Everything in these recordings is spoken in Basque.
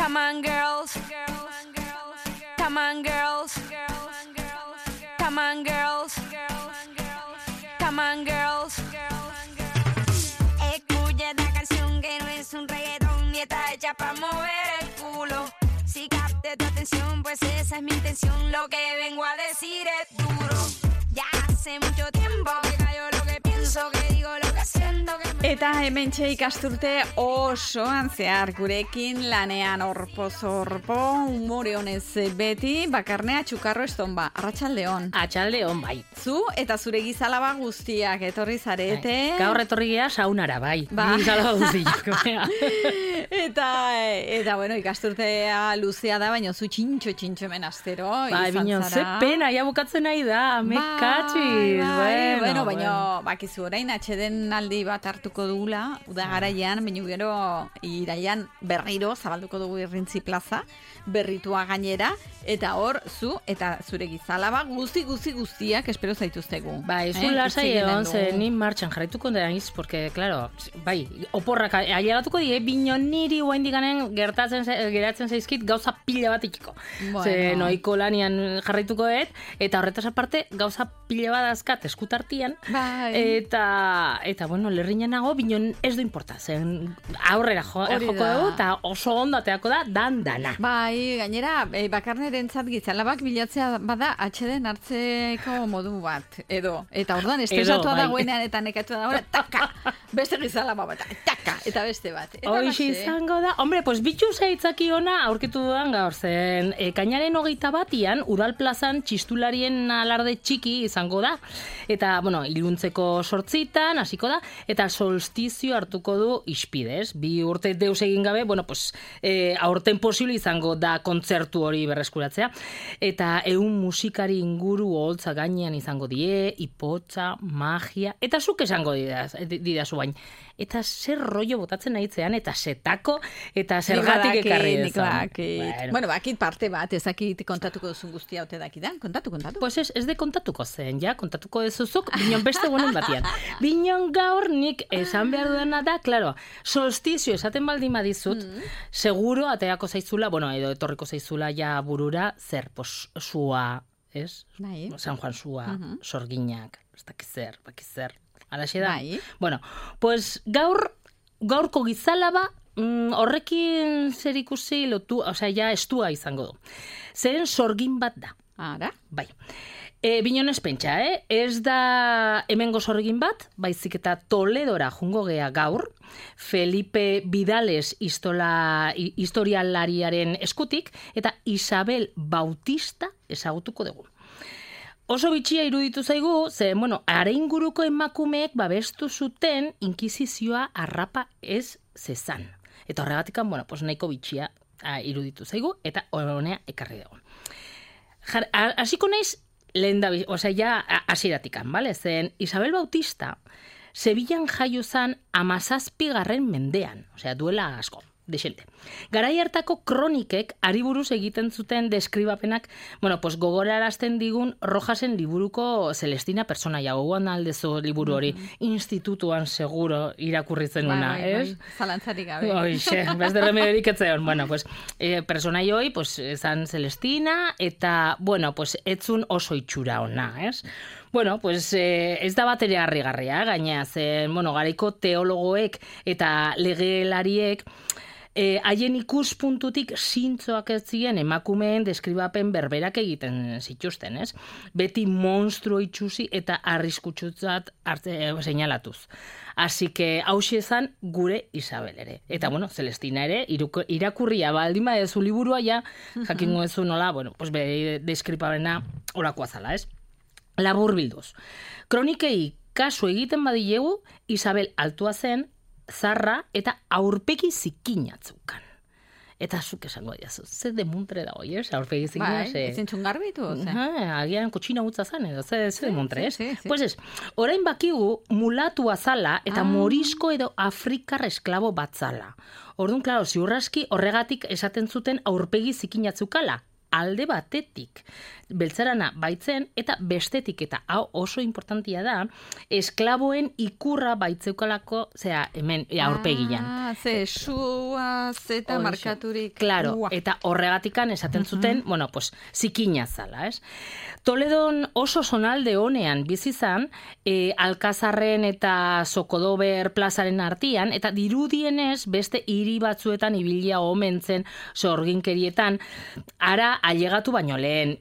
Come on, girls. Come on, girls. Come on, girls. Come on, girls. Escucha esta canción que no es un reggaetón ni está hecha para mover el culo. Si capte tu atención, pues esa es mi intención. Lo que vengo a decir es duro. Ya hace mucho tiempo que callo lo que pienso, que digo lo que siento. Eta hementxe ikasturte osoan zehar gurekin lanean orpo-zorpo, umore honez beti, Bakarnea Txukarro Estonba. Arratsaldeon. Atxaldeon, bai. Zu eta zure gizalaba guztiak etorri zarete. Gaur etorri gea saunara, bai. Gizalaba guztiak. eta bueno, ikasturtea luzea da, baina zu txintxo hemen astero. Bai, bino, ze pena, ja bukatzen nahi da, mekatxiz. Bueno, baina bakizu orain atxeden aldi bat hartuko dugula, uda garaian, baina gero iraian berriro zabalduko dugu Irrintzi plaza, berritua gainera, eta hor zu eta zure gizalaba guztiak espero zaituztegu. Bai, zu lasai egon, ze ni martxan jarraituko dira iz, porque, claro, bai, oporrak ailegatuko die, bino niri guain diganen geratzen zaizkit gauza pila bat ikiko. Bueno. Ze noiko lanian jarraituko dut, eta horretaz aparte gauza pila bat azkat eskutartian, bai. Eta bueno, lerriñan nago, binon ez du importa, zen aurrera joko dugu, eta oso ondo ateako da, dana. Bai, gainera, Bakarnerentzat gizalabak bilatzea bada atxeden hartzeko modu bat, edo. Eta orduan, estresatua dagoenean eta nekatua dagoenean, taka, beste gizalaba bat, taka, eta beste bat. Hoxe izango da, hombre, pues bitxu zaitzaki ona aurkitu dudan gaur zen, kainaren 21 Udal plazan txistularien alarde txiki izango da, eta, bueno, iluntzeko 8 hasiko da, eta solstizio hartuko du ispidez. 2 urte deus egin gabe, bueno, pues, aurten posible izango da kontzertu hori berreskuratzea. Eta 100 musikari inguru oholtza gainean izango die, ipotza, magia, eta zuk esango didazu bain. Eta zer rollo botatzen nahitzean, eta setako, eta zergatik ekarri dezan. Bueno, bakit parte bat, ezakit kontatuko duzun guztia ote dakidan, kontatu. Pues ez de kontatuko zen, ja, kontatuko dezuzuk, binon beste guenen batian. Binon gaur nik esan behar duena da, claro, solstizio esaten baldin badizut, seguro ateako zaizula, bueno, edo etorriko zaizula ja burura, zer, pues, sua, ez? Bai. San Juan sua, sorginak, ez dakizer, alaxe da? Bai. Bueno, pues gaurko gizalaba horrekin zer ikusi lotu, osea, ja estua izango du. Zeren sorgin bat da. Ara? Bai. Binon ez pentsa, ez da hemengo sorgin bat, baizik eta Toledora jungo gea gaur, Felipe Vidales historialariaren eskutik, eta Isabel Bautista ezagutuko dugu. Oso bitxia iruditu zaigu, ze, bueno, are inguruko emakumeek babestu zuten inkisizioa arrapa ez zezan. Eta horregatikan, bueno, pues nahiko bitxia iruditu zaigu, eta honea ekarri dugu. Hasiko naiz, lehen da, osea, ja, hasieratikan, bale? Zen, Isabel Bautista, Sevillan jaio zan 17. mendean, osea, duela asko. Dexente. Garai hartako kronikek ari buruz egiten zuten deskribapenak, bueno, pues gogorarazten digun Rojasen liburuko Celestina personaia, gogoan aldezu liburu hori, institutuan seguro irakurri zenuna, ez? Zalantzarik gabe. Oixe, beste remediorik etzeon. Bueno, pues, personai hoi, pues, zan Celestina, eta, bueno, pues, etzun oso itxura ona, ez? Bueno, pues, ez da bat ere harrigarria, gaina, zen, bueno, garaiko teologoek eta legelariek, haien ikuspuntutik zintzoak ez ziren emakumeen deskribapen berberak egiten zituzten, ez? Beti monstruo itxusi eta arriskutsutzat seinalatuz. Así que hauxe ezan gure Isabel ere. Eta, bueno, Celestina ere, irakurria baldin badezu liburua ja, jakingo ezu nola, bueno, pues bere deskribapena orakoa zala, ez? Labur bilduz. Kronikei kasu egiten badilegu, Isabel altua zen, zarra eta aurpegi zikinatzeukan. Eta zuk esango diazu, ze demuntre da hoi, ez? Aurpegi zikina, bai, ezin txungarbitu, ze? Agian kotxina utza zan, edo, ze demuntre, ez? Pues ez, orain bakigu mulatu azala eta morisko edo afrikar esklabo bat zala. Orduan, klaro, ziurraski horregatik esaten zuten aurpegi zikinatzukala. alde batetik beltzarana baitzen, eta bestetik, eta hau oso importantia da, esklaboen ikurra baitzeukalako, hemen aurpegian. Ze sua zeta markaturik. Claro, eta horregatikan esaten zuten, bueno, pues, zikina zala, ez? Toledon oso zonalde honean bizizan, Alkazarren eta Sokodober plazaren artian, eta dirudienez beste hiri batzuetan ibilia omen zen sorginkerietan, ara ailegatu baino lehen.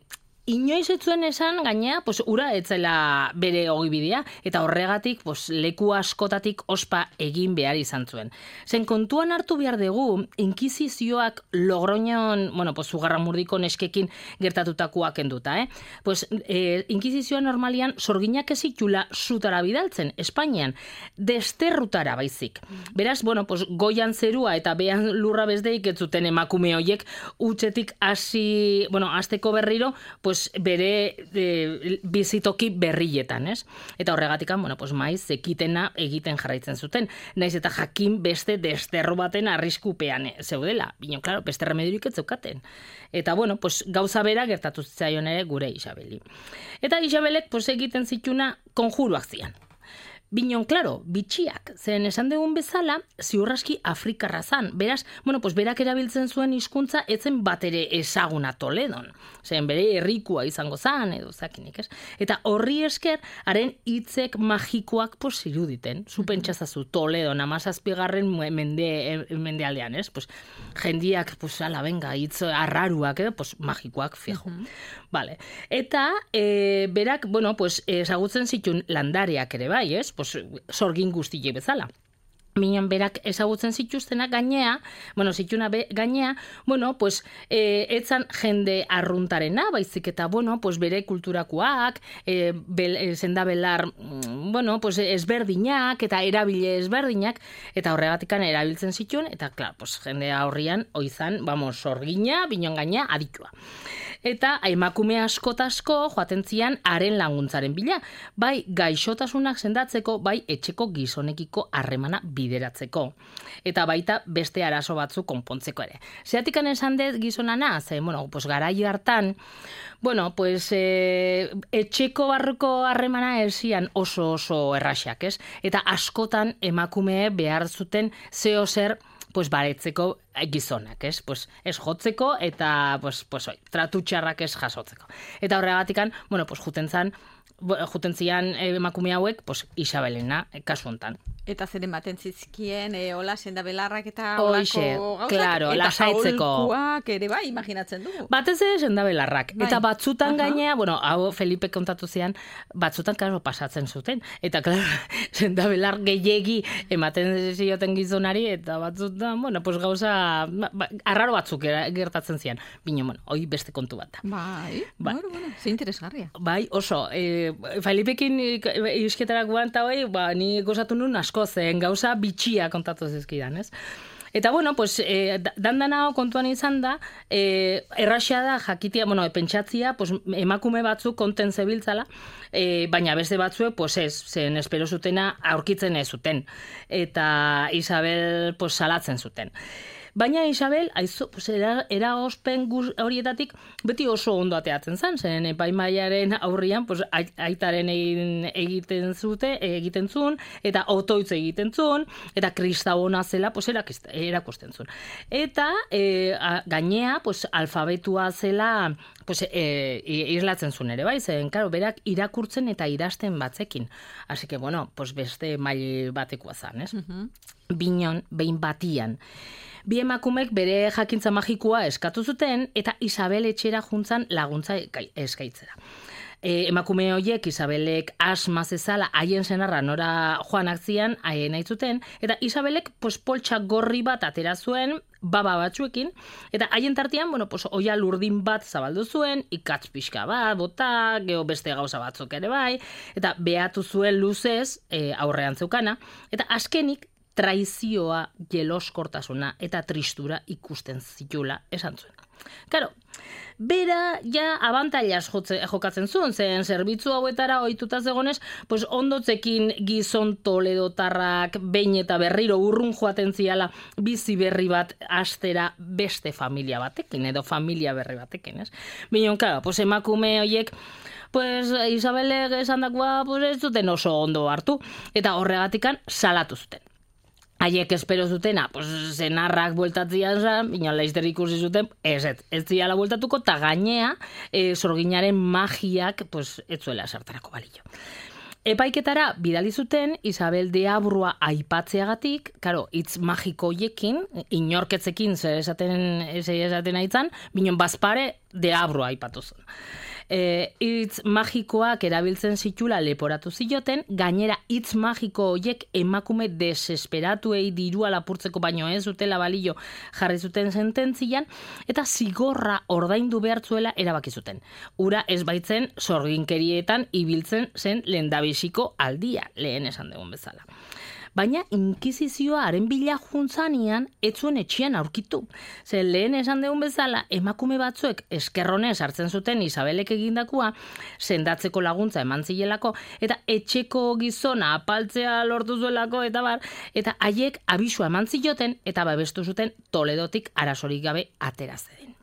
Inoiz ez zuen esan, gainea, pues, ura etzela bere ogibidea, eta horregatik pues, leku askotatik ospa egin behar izan zuen. Zen kontuan hartu behar dugu, inkisizioak Logroñon, bueno, pues, Zugarramurdiko neskekin gertatutakoak enduta, Pues, inkisizioa normalian sorginak ezitula zutara bidaltzen, Espainian, desterrutara baizik. Beraz, bueno, pues, goian zerua eta behan lurra bezdeik ez zuten emakume hoiek utzetik hasteko berriro, pues, bere bizitoki berrietan, ez? Eta horregatikan, bueno, pues, maiz ekitena egiten jarraitzen zuten. Naiz eta jakin beste desterro baten arriskupean zeudela. Bino, klaro, beste remediorik ez zeukaten. Eta, bueno, pues, gauza bera gertatu zitzaion ere gure Isabeli. Eta Isabelek, pues, egiten zituna konjuruak zian. Binon, klaro, bitxiak, zen esan dugun bezala, ziurraski Afrikarra zan. Beraz, bueno, pues berak erabiltzen zuen hizkuntza etzen bat ere ezaguna Toledon. Zen bere herrikua izango zan, edo zakinik, ez? Eta horri esker, haren hitzek magikoak pues iruditen. Zupentsazazu Toledon, 17. mendealdean, ez? Pues, jendiak, pues, ala, venga, hitz arraruak, edo, pues, magikoak, fijo. Vale. Eta, berak, bueno, pues, ezagutzen zitun landareak ere bai, ez? Pues, sorgin guztiek bezala. Minon berak ezagutzen zituztenak gainea, pues, etzan jende arruntarena, baizik eta, bueno, pues, bere kulturakoak, zendabelar, bueno, pues, ezberdinak, eta erabile ezberdinak, eta horregatikan erabiltzen zituen, eta, klar, pues, jende aurrian, oizan, sorgina, binon gaina, aditua. Eta emakume askotasko joaten zian haren laguntzaren bila, bai gaixotasunak sendatzeko, bai etxeko gizonekiko harremana bideratzeko. Eta baita beste arazo batzu konpontzeko ere. Zeatikan esan dut gizonana, bueno, pues garai hartan, bueno, pues etxeko barruko harremana esian oso erraxak, ez? Eta askotan emakume behar zuten zeo zer pues baretzeko gizonak, ez? Pues ez jotzeko eta pues tratu txarrak ez jasotzeko. Eta horregatikan, bueno, pues juten zian emakume hauek, pues Isabelena kasu hontan. Eta zer ematen zizkien, hola, sendabelarrak eta holako gauzak, claro, eta lasaitzeko. aholkuak ere bai, imaginatzen dugu. Batez ere sendabelarrak. Bai. Eta batzutan gainea, bueno, hau Felipe kontatu zian, batzutan karo pasatzen zuten. Eta, claro, sendabelar gehiegi ematen zioten gizonari, eta batzutan, bueno, pues gauza, arraro batzuk gertatzen zian. Bino, bueno, hoi beste kontu bat da. Bai, bueno, ze interesgarria. Bai, oso, Felipekin isketarakoan eta hoi, ni gozatu nun asko zen gauza bitxia kontatu zizkidan, ez? Eta, bueno, pues, dandana kontuan izan da, erraxea da jakitia, bueno, pentsatzia, pues, emakume batzuk konten zebiltzala, baina beste batzuek, pues ez, zen espero zutena aurkitzen ez zuten. Eta Isabel, pues, salatzen zuten. Baina Isabel, pues, eragozpen horietatik beti oso ondo ateatzen zen, zen epaimaiaren aurrian, pues, aitaren egiten zuen, eta otoitz egiten zuen, eta kristabona zela, pues, erakusten zuen. Eta gainea, pues, alfabetua zela, pues, islatzen zuen ere, bai, zen, karo, berak irakurtzen eta idazten batzekin. Así que, bueno, pues, beste mail batekoa zen, ez? Binon, behin batian. Bi emakumek bere jakintza magikoa eskatu zuten eta Isabel etxera juntzan laguntza eskaitzera. Emakume horiek Isabelek asma zezala haien senarra nora joanak zian nahi zuten, eta Isabelek pues, poltsa gorri bat atera zuen, baba batzuekin, eta haien tartean, bueno, pues, oia lurdin bat zabaldu zuen, ikatz pixka bat, bota, geho beste gauza batzuk ere bai, eta behatu zuen luzez aurrean zeukana, eta azkenik traizioa, jeloskortasuna eta tristura ikusten zitula esan zuen. Karo, bera ja abantailas jokatzen zuen, zen zerbitzu hauetara ohituta zegonez, pues ondotzekin gizon toledotarrak behin eta berriro urrun joaten ziala bizi berri bat astera beste familia batekin, edo familia berri batekin, ez? Binon, claro, pues emakume horiek pues Isabelek esandakoa pues ez zuten oso ondo hartu, eta horregatikan salatu zuten. Haiek espero zutena, pues, senarrak bueltatzian zan, bina laizter ikusi zuten, ez ziala bueltatuko, eta gainea, sorginaren magiak, pues, ez zuela sartarako balio. Epaiketara bidali zuten Isabel de Abrua aipatzeagatik, karo, hitz magiko hoiekin, inorketzekin zer esaten aitzan, binon bazpare de Abrua aipatu zen. Hitz magikoak erabiltzen zitula leporatu zioten, gainera hitz magiko hoiek emakume desesperatuei dirua lapurtzeko baino ez zutela balio jarri zuten sententzian, eta zigorra ordaindu behartzuela erabaki zuten. Ura ez baitzen sorginkerietan ibiltzen zen lehendabiziko aldia, lehen esan dugun bezala. Baina inkisizioa haren bila juntzanian etzuen etxean aurkitu. Ze lehen esan dugun bezala, emakume batzuek eskerronez hartzen zuten Isabelek egindakua, sendatzeko laguntza eman zilelako, eta etxeko gizona apaltzea lortu zuelako, eta haiek abisua eman zioten, eta babestu zuten Toledotik arazorik gabe atera zeden.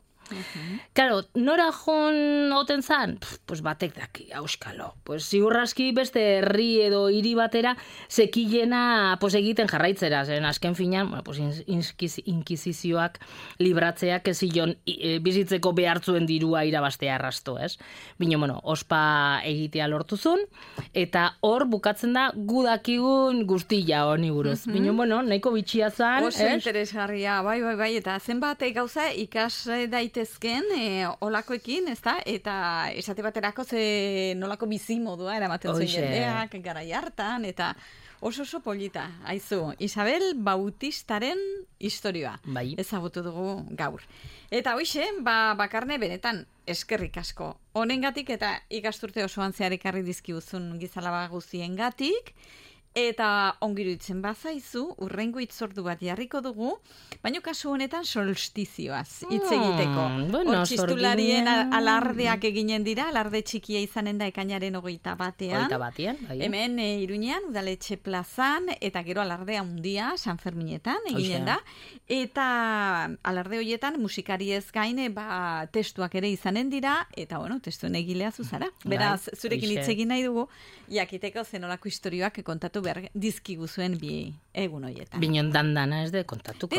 Claro, nora joan oten zan? Pues batek daki, auskalo. Pues ziurraski beste herri edo hiri batera zekilena pues egiten jarraitzera, zen azken finan, bueno, pues inkisizioak libratzeak ezilon bizitzeko behartzuen dirua irabastea arrasto, ez? Bino, bueno, ospa egitea lortuzun, eta hor bukatzen da gudakigun guztia honi buruz. Bino, bueno, nahiko bitxia zan, oso interesgarria, bai, eta zenbat gauza ikas daitezken olakoekin, ezta? Eta esate baterako nolako bizimodua eramaten zuen jendeak garai hartan, eta oso polita. Aizu, Isabel Bautistaren historia ezagutu dugu gaur. Eta hoixe, Bakarne benetan eskerrik asko. Honengatik eta ikasturte osoan zehar ekarri dizkiguzun gizalaba guztiengatik. Eta ongiruditzen bazaizu, urrengo hitzordu bat jarriko dugu, baina kasu honetan solstizioaz hitz egiteko. Hor txistularien alardeak eginen dira, alarde txikia izanen da ekainaren 21. Bai. Hemen Iruñean, Udaletxe plazan, eta gero alardea handia San Ferminetan eginen da. Eta alarde horietan musikariez gain testuak ere izanen dira, eta bueno, testuen egilea zuzara. Beraz, zurekin hitz egin nahi dugu, jakiteko zenolako historioak kontatu behar dizkiguzuen bi egun horietan. Binon dandana ez de kontatuko.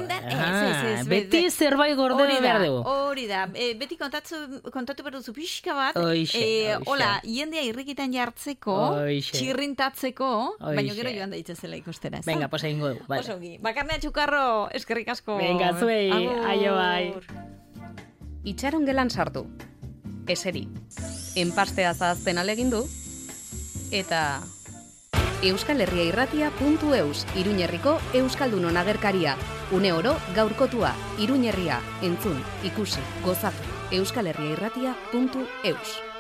Beti zerbait gorde behar dugu. Hori da, beti kontatu behar duzu pixka bat, hola, jendea irrikitan jartzeko, txirrintatzeko, baina gero joan da itzazela ikustera. Venga, pues egingo dugu. Osogi, Bakarnea Txukarro, eskerrik asko. Venga, zuei, aio bai. Itxaron gelan sartu. Eseri. Enpastea zahazten alegindu, eta euskalherriairratia.eus, Iruñerriko Euskaldunon agerkaria. Une oro gaurkotua, Iruñerria, entzun, ikusi, gozatu. euskalherriairratia.eus.